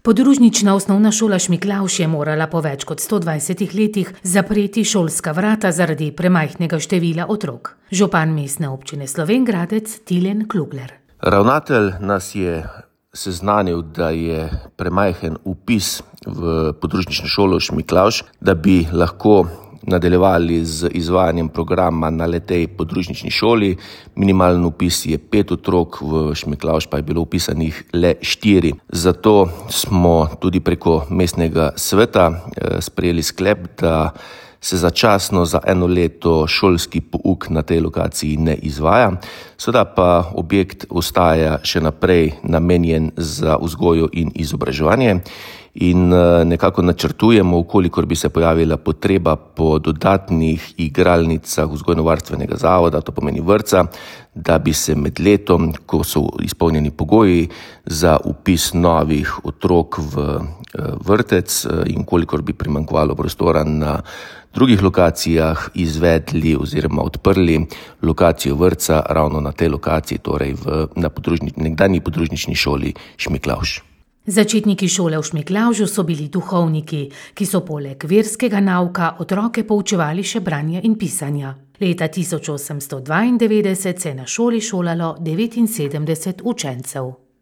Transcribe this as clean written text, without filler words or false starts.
Podružnična osnovna šola Šmiklavž je morala po več kot 120 letih zapreti šolska vrata zaradi premajhnega števila otrok. Župan mestne občine Slovenj Gradec Tilen Klugler. Ravnatelj nas je seznanil, da je premajhen vpis v podružnično šolo Šmiklavž, da bi lahko nadaljevali z izvajanjem programa na tej podružnični šoli. Minimalen vpis je 5 otrok, v Šmiklavž pa je bilo vpisanih le 4. Zato smo tudi preko mestnega sveta sprejeli sklep, da se začasno za 1 leto šolski pouk na tej lokaciji ne izvaja. Seveda pa objekt ostaja še naprej namenjen za vzgojo in izobraževanje in nekako načrtujemo, vkolikor bi se pojavila potreba po dodatnih igralnicah vzgojno-varstvenega zavoda, to pomeni vrtca, da bi se med letom, ko so izpolnjeni pogoji za vpis novih otrok v vrtec in kolikor bi primanjkovalo prostora na drugih lokacijah, izvedli oziroma odprli lokacijo vrtca ravno na tej lokaciji, torej na nekdanji podružnični šoli Šmiklavž. Začetniki šole v Šmiklavžu so bili duhovniki, ki so poleg verskega nauka otroke poučevali še branja in pisanja. Leta 1892 se je na šoli šolalo 79 učencev.